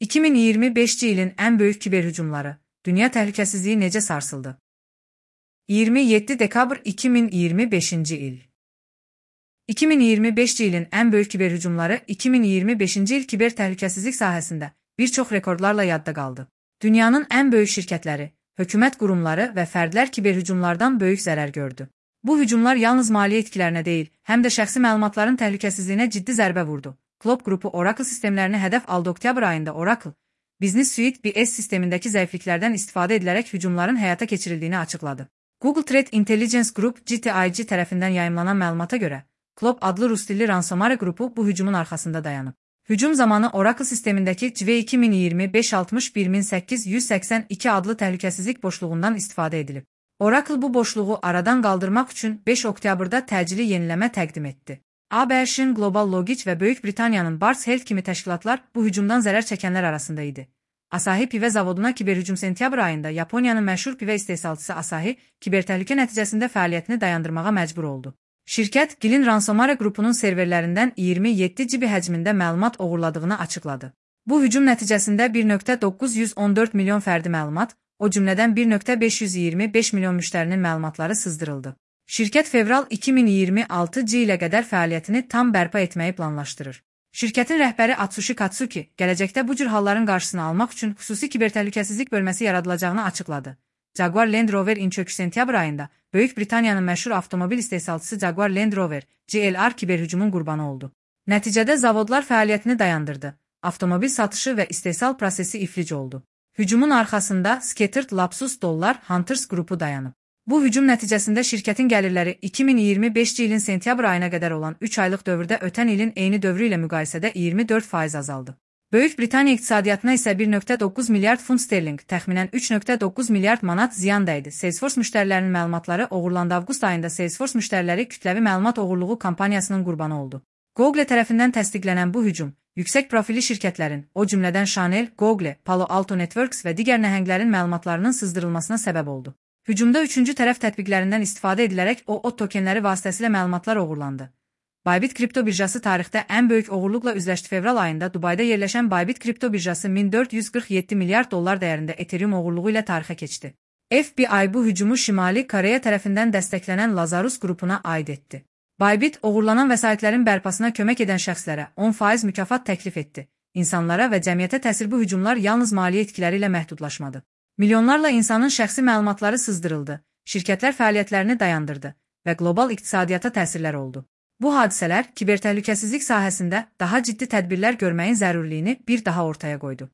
2025-ci ilin ən böyük kiberhücumları, dünya təhlükəsizliyi necə sarsıldı? 27 dekabr 2025-ci il. 2025-ci ilin ən böyük kiberhücumları 2025-ci il kiber təhlükəsizlik sahəsində bir çox rekordlarla yadda qaldı. Dünyanın ən böyük şirkətləri, hökumət qurumları və fərdlər kiberhücumlardan böyük zərər gördü. Bu hücumlar yalnız maliyyə itkilərinə deyil, həm də şəxsi məlumatların təhlükəsizliyinə ciddi zərbə vurdu. Klopp qrupu Oracle sistemlərini hədəf aldı. Oktyabr ayında Oracle, Business Suite BS sistemindəki zəifliklərdən istifadə edilərək hücumların həyata keçirildiyini açıqladı. Google Threat Intelligence Group GTIG tərəfindən yayımlanan məlumata görə, Klopp adlı rusdilli ransomware qrupu bu hücumun arxasında dayanıb. Hücum zamanı Oracle sistemindəki CV 2025-61882 adlı təhlükəsizlik boşluğundan istifadə edilib. Oracle bu boşluğu aradan qaldırmaq üçün 5 oktyabrda təcili yeniləmə təqdim etdi. ABŞ-ın Global Logic və Böyük Britaniyanın Bars Health kimi təşkilatlar bu hücumdan zərər çəkənlər arasında idi. Asahi pivə zavoduna kiberhücum sentyabr ayında Yaponiyanın məşhur pivə istehsalçısı Asahi kibertəhlükə nəticəsində fəaliyyətini dayandırmağa məcbur oldu. Şirkət Gilin ransomware qrupunun serverlərindən 27 GB həcmində məlumat oğurladığını açıqladı. Bu hücum nəticəsində 1.914 milyon fərdi məlumat, o cümlədən 1.525 milyon müştərinin məlumatları sızdırıldı. Şirkət fevral 2026-cı ilə qədər fəaliyyətini tam bərpa etməyi planlaşdırır. Şirkətin rəhbəri Atsushi Katsuki, gələcəkdə bu cür halların qarşısını almaq üçün xüsusi kibertəhlükəsizlik bölməsi yaradılacağını açıqladı. Jaguar Land Rover çöküşü sentyabr ayında Böyük Britaniyanın məşhur avtomobil istehsalçısı Jaguar Land Rover (JLR) kiberhücumun qurbanı oldu. Nəticədə zavodlar fəaliyyətini dayandırdı. Avtomobil satışı və istehsal prosesi iflic oldu. Hücumun arxasında Scattered Lapsus Dollar Hunters qrupu dayanıb. Bu hücum nəticəsində şirkətin gəlirləri 2025-ci ilin sentyabr ayına qədər olan 3 aylıq dövrdə ötən ilin eyni dövrü ilə müqayisədə 24% azaldı. Böyük Britaniya iqtisadiyyatına isə 1.9 milyard funt sterling, təxminən 3.9 milyard manat ziyan dəydi. Salesforce müştərilərinin məlumatları oğurlandı. Avqust ayında Salesforce müştəriləri kütləvi məlumat oğurluğu kampaniyasının qurbanı oldu. Google tərəfindən təsdiqlənən bu hücum, yüksək profilli şirkətlərin, o cümlədən Chanel, Google, Palo Alto Networks və digər nəhənglərin məlumatlarının sızdırılmasına səbəb oldu. Hücumda üçüncü tərəf tətbiqlərindən istifadə edilərək OAuth tokenləri vasitəsilə məlumatlar oğurlandı. Bybit kripto birjası tarixdə ən böyük oğurluqla üzləşdi. Fevral ayında Dubayda yerləşən Bybit kripto birjası 1447 milyard dollar dəyərində Ethereum oğurluğu ilə tarixə keçdi. FBI bu hücumu Şimali Koreya tərəfindən dəstəklənən Lazarus qrupuna aid etdi. Bybit oğurlanan vəsaitlərin bərpasına kömək edən şəxslərə 10% mükafat təklif etdi. İnsanlara və cəmiyyətə təsir bu hücumlar yalnız maliyyə itkiləri ilə məhdudlaşmadı. Milyonlarla insanın şəxsi məlumatları sızdırıldı, şirkətlər fəaliyyətlərini dayandırdı və qlobal iqtisadiyyata təsirlər oldu. Bu hadisələr kibertəhlükəsizlik sahəsində daha ciddi tədbirlər görməyin zərurliyini bir daha ortaya qoydu.